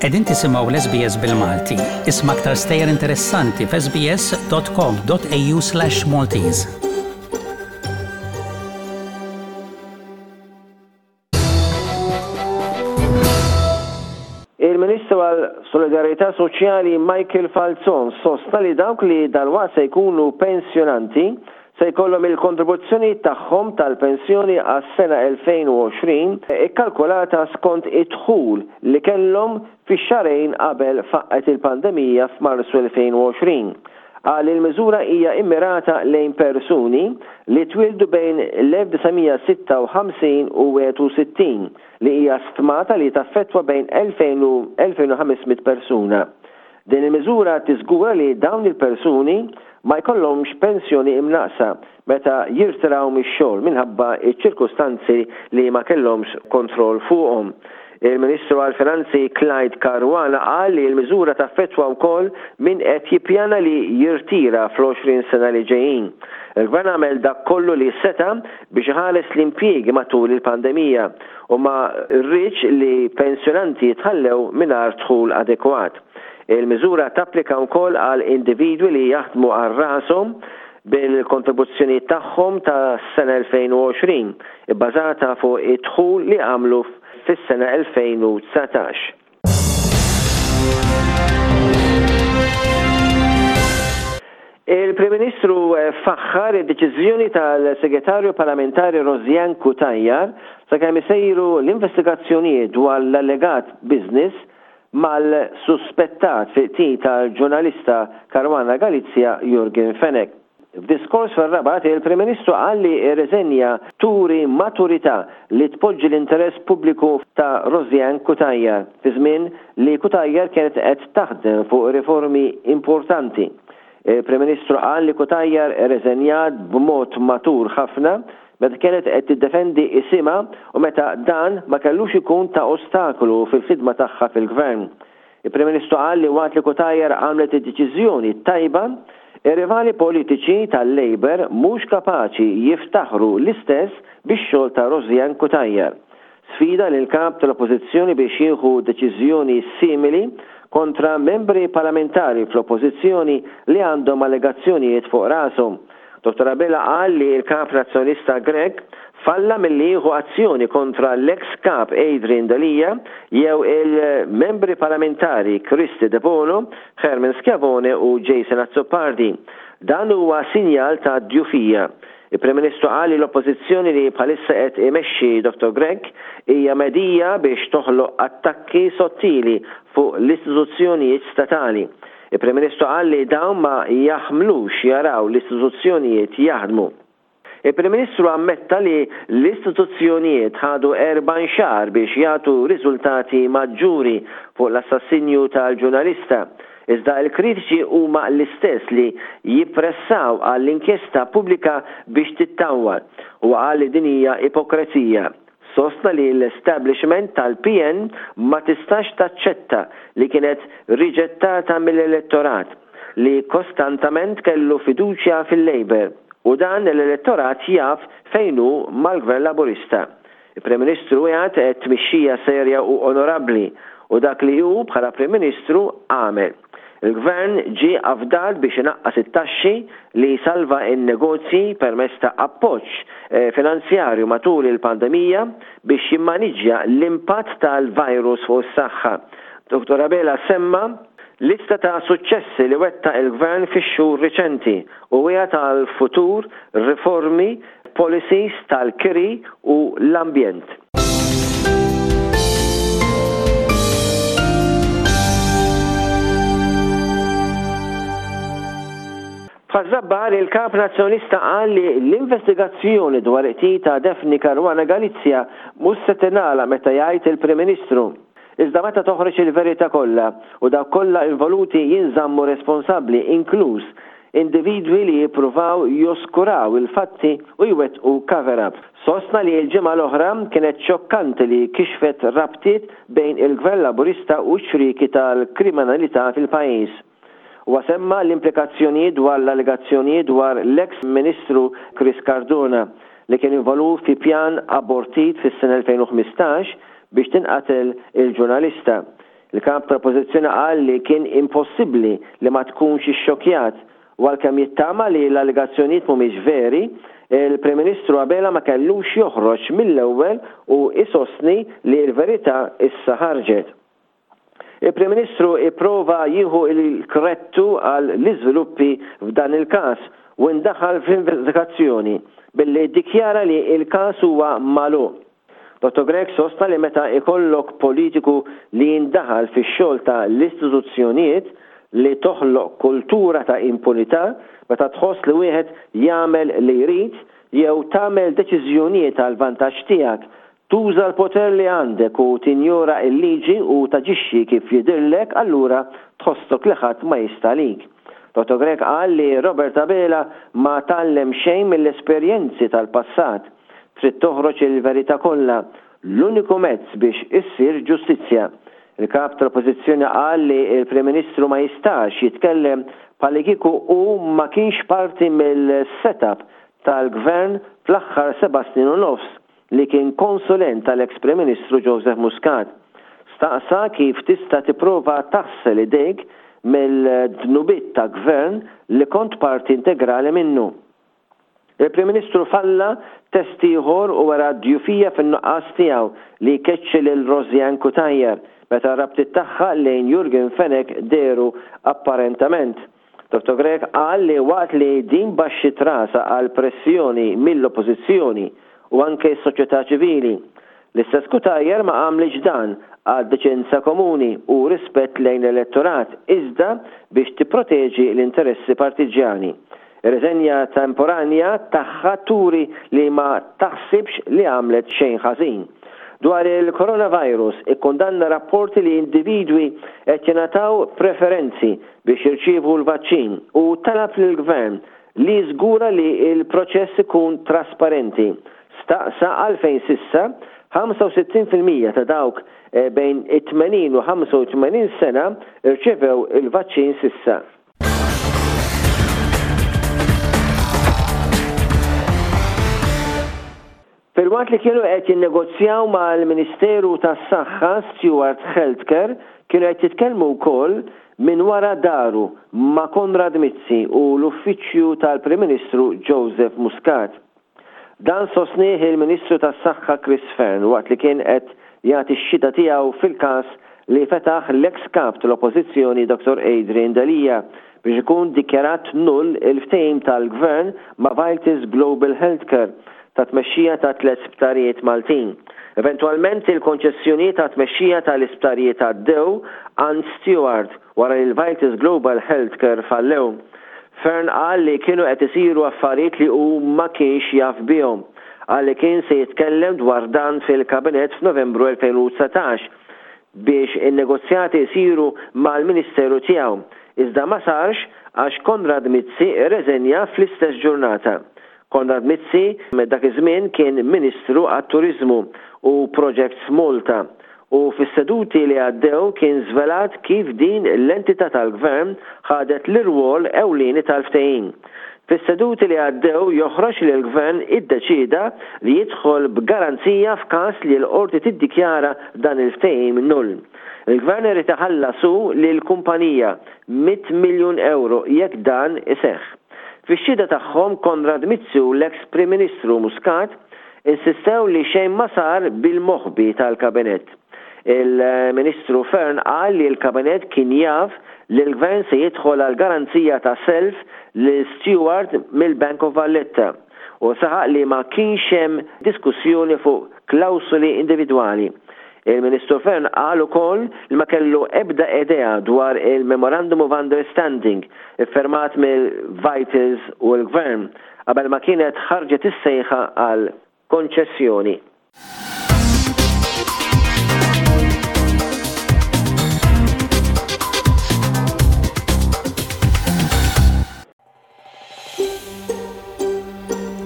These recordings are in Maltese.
Qegħdin tisimgħu l-SBS bil-Malti. Isma' aktar stejjer interessanti f'sbs.com.au/maltese. Il-Ministru għal Solidarjetà Soċjali Michael Falzon sostna li dawk li dalwaqt se jkunu pensjonanti se jkollhom il-kontribuzzjonijiet tagħhom tal-pensjoni għas-sena 2020 ikkalkulata skont id-dħul li kellhom fix-xahrejn qabel faqqgħet il-pandemija f'Marzu 2020. Qal li l-miżura hija immirata lejn persuni li twieldu bejn l-1956 u 61, li hija stmata li taffettwa bejn 2,000 u 2,500 persuna. Din il-miżura tiżgura li dawn il-persuni ma jkollhomx pensjoni imnaqqsa meta jirtiraw mix-xogħol minħabba ċ-ċirkustanzi li ma kellhomx kontroll fuqhom. Il-Ministru għall-Finanzi Clyde Caruana qal li l-miżura taffettwa wkoll min qed jippjana li jirtira fl-20 sena li ġejjin. Il-Gvern għamel dak kollu li seta' biex iħares l-impjiegi matul il-pandemija u ma rridx li pensjonanti jitħallew mingħajr dħul adekwat. Il-miżura tapplika wkoll għal individwi li jaħdmu għal rashom bil-kontribuzzjonijiet tagħhom tas-sena 2020, ibbażata fuq id-dħul li għamlu fis-sena 2019. Il-Prim Ministru faħħar id-deċiżjoni tal-Segretarju Parlamentari Rosianne Cutajar sakemm isejru l-investigazzjonijiet dwar l-allegat business mal-suspettat fil-qtil tal-ġurnalista Caruana Galizia Yorgen Fenech. F'diskors fir-Rabat, il-Prim Ministru qal li r-riżenja turi maturità li tpoġġi l-interess pubbliku ta' Rosianne Cutajar fi żmien li Cutajar kienet qed taħdem fuq riformi importanti. Il-Prim Ministru qal li Cutajar irriżenjat b'mod matur ħafna meta kienet qed tiddefendi isimha u meta dan ma kellux ikun ta' ostakolu fil-ħidma tagħha fil-Gvern. Il-Prim Ministru qal li waqt li Cutajar għamlet id-deċiżjoni t-tajba, ir-rivali politiċi tal-Labour mhux kapaċi jiftaħru l-istess bix-xogħol ta' Rosianne Cutajar. Sfida lill-Kap tal-Oppożizzjoni biex jieħu deċiżjoni simili kontra membri parlamentari fl-Oppożizzjoni li għandhom allegazzjonijiet fuq rashom. Dottor Abela qal li l-Kap Nazzjonalista Grech falla milli jieħu azzjoni kontra l-eks Kap Adrian Delia jew il-Membri Parlamentari Kristy Debono, Herman Schiavone u Jason Azzopardi. Dan huwa sinjal ta' djufija. Il-Prim Ministru qal li l-Oppożizzjoni li bħalissa qed imexxi Dottor Grech hija medhija biex toħloq attakki sottili fuq l-istituzzjonijiet statali. Il-Prim Ministru qal li dawn ma jaħmlux jaraw l-istituzzjonijiet jaħdmu. Il-Prim Ministru ammetta li l-istituzzjonijiet ħadu 40 xahar biex jagħtu riżultati maġġuri fuq l-assassinju tal-ġurnalista, iżda l-kritiċi huma l-istess li jippressaw għall-inkjesta pubblika biex tittawwal. Huwa qal li din hija ipokrezija. Sostna li l-establishment tal-PN ma tistax taċċetta li kienet riġettata mill-elettorat li kostantament kellu fiduċja fil-Labour u dan l-elettorat jaf fejn hu mal-Gvern Laburista. Il-Prim Ministru wiegħed tmexxija serja u onorabbli u dak li hu bħala Prim Ministru għamel. Il-Gvern ġie afdat biex inaqqas it-taxxi li jsalva n-negozji permezz ta' appoġġ finanzjarju matul il-pandemija biex jimmaniġġja l-impatt tal-virus fuq is-saħħa. Dottor Abela semma lista ta' suċċessi li wettaq il-Gvern fix-xhur riċenti u wiegħed għal futur riformi f'policies tal-kiri u l-ambjent. F'Ħaż-Żabbar, il-Kap Nazzjonalista qal li l-investigazzjoni dwar il-qtil ta' Daphne Caruana Galizia mhux se tingħalaq meta jgħid il-Prim Ministru, iżda meta toħroġ il-verità kollha u dawk kollha involuti jinżammu responsabbli inkluż individwi li jippruvaw joskuraw il-fatti u jwettqu cover-up. Sostna li l-ġimgħa l-oħra kienet xokkanti li kixfet rabtiet bejn il-Gvern Laburista u x-xrieki tal-kriminalità fil-pajjiż. Huwa semma l-implikazzjonijiet dwar l-allegazzjonijiet dwar l-eks Ministru Chris Cardona li kien involut fi pjan abortit fis-sena 2015 biex tinqatel il-ġurnalista. Il-Kap tal-Oppożizzjoni qal li kien impossibbli li ma tkunx ixxokkjat u għalkemm jittama li l-allegazzjonijiet mhumiex veri, il-Prim Ministru Abela ma kellux joħroġ mill-ewwel u jsostni li l-verità issa ħarġet. Il-Prim Ministru ipprova jieħu l-krettu għal l-iżviluppi f'dan il-każ u indaħal fl-investigazzjoni billi ddikjara li l-każ huwa magħluq. Dottor Grech sostna li meta ikollok politiku li jindaħal fix-xogħol ta' l-istituzzjonijiet li toħloq kultura ta' impunità meta tħoss li wieħed jagħmel li jrid jew tagħmel deċiżjonijiet għall-vantaġġ tiegħek Tuża l-poter li għandek u tinjora l-liġi u taġixxi kif jidhirlek allura tħossok li ħadd ma jista' għalik. Dottor Grech qal li Robert Abela ma tgħallem xejn mill-esperjenzi tal-passat. Trid toħroġ il-verità kollha. L-uniku mezz biex issir ġustizzja. Il-Kap tal-Oppożizzjoni qal li l-Prim Ministru ma jistax jitkellem bħallikieku hu ma kienx parti mill-set-up tal-Gvern fl-aħħar seba' snin u nofs li kien konsulent tal-eks Prim Ministru Joseph Muscat. Staqsa kif tista' tipprova taħsel idejk mill-dnubiet ta' Gvern li kont parti integrali minnu. Il-Prim Ministru falla test ieħor u wera d-djufija fin-nuqqas tiegħu li jkeċċi lil Rosianne Cutajar meta r-rabtiet tagħha lejn Yorgen Fenech dehru apparentament. Dottor Grech qal li waqt li din baxxiet rasha għal pressjoni mill-Oppożizzjoni u anke s-soċjetà ċivili, l-istess Cutajar ma għamlitx dan għad-deċenza komuni u rispett lejn l-elettorat iżda biex tipproteġi l-interessi partiġġjani. Ir-riżenja temporanja tagħha turi li ma taħsibx li għamlet xejn ħażin. Dwar il-coronavirus, ikkundanna rapporti li individwi qed jingħataw preferenzi biex jirċievu l-vaċċin u talab lill-Gvern li jiżgura li l-proċess ikun trasparenti. Staqsa għalfejn s'issa 65% ta' dawk bejn it-80 u 85 sena rċevew il-vaċċin s'issa. Filwaqt li kienu qed jinnegozjaw mal-Ministeru tas-Saħħa, Steward Healthcare kienu qed jitkellmu wkoll minn wara daru ma' Konrad Mizzi u l-Uffiċċju tal-Prim Ministru Joseph Muscat. Dan sostnieh il-Ministru tas-Saħħa Chris Fearne waqt li kien qed jagħti x-xhieda tiegħu fil-każ li fetaħ l-eks Kap tal-Oppożizzjoni Dottor Adrian Delia biex ikun dikjarat null il-ftehim tal-Gvern ma' Vitis Global Healthcare ta' tmexxija ta' tlett sptarijiet Maltin. Eventwalment il-konċessjonijiet għat-tmexxija tal-isptarijiet għaddew għand Steward wara li l-Vitis Global Healthcare fallew. Fearne qal li kienu qed isiru affarijiet li hu ma kienx jaf bihom. Qal li kien se jitkellem dwar dan fil-Kabinett f'Novembru 2019 biex in-negozjati jsiru mal-Ministeru tiegħu, iżda ma sarx għax Konrad Mizzi rreżenja fl-istess ġurnata. Konrad Mizzi dak iż-żmien kien Ministru għat-Turiżmu u Projects Malta u fis-seduti li għaddew kien żvelat kif din l-entità tal-Gvern ħadet l-irwol ewlieni tal-ftehim. Fis-seduti li għaddew joħroġ li l-Gvern iddeċieda li jidħol b'garanzija f'każ li l-Qorti tiddikjara dan il-ftehim null. Il-Gvern irid iħallas hu lill-kumpanija mitt miljun ewro jekk dan iseħħ. Fix-xhieda tagħhom Konrad Mizzi u l-eks Prim Ministru Muscat insistew li xejn ma sar bil-moħbi tal-Kabinett. Il-Ministru Fearne qal li l-Kabinett kien jaf li l-Gvern se jidħol għal garanzija ta' self lil Steward mill-Bank of Valletta u saħaq li ma kienx hemm diskussjoni fuq klawsoli individwali. Il-Ministru Fearne qal ukoll li ma kellu ebda idea dwar il-Memorandum of Understanding iffirmat mill-Vitals u l-Gvern qabel ma kienet ħarġet is-sejħa għal konċessjoni.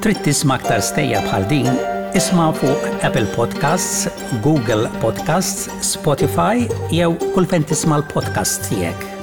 Trid tisma' aktar stejjer bħal din? Isma' fuq Apple Podcasts, Google Podcasts, Spotify jew kull fejn tisma' l-podcasts tiegħek.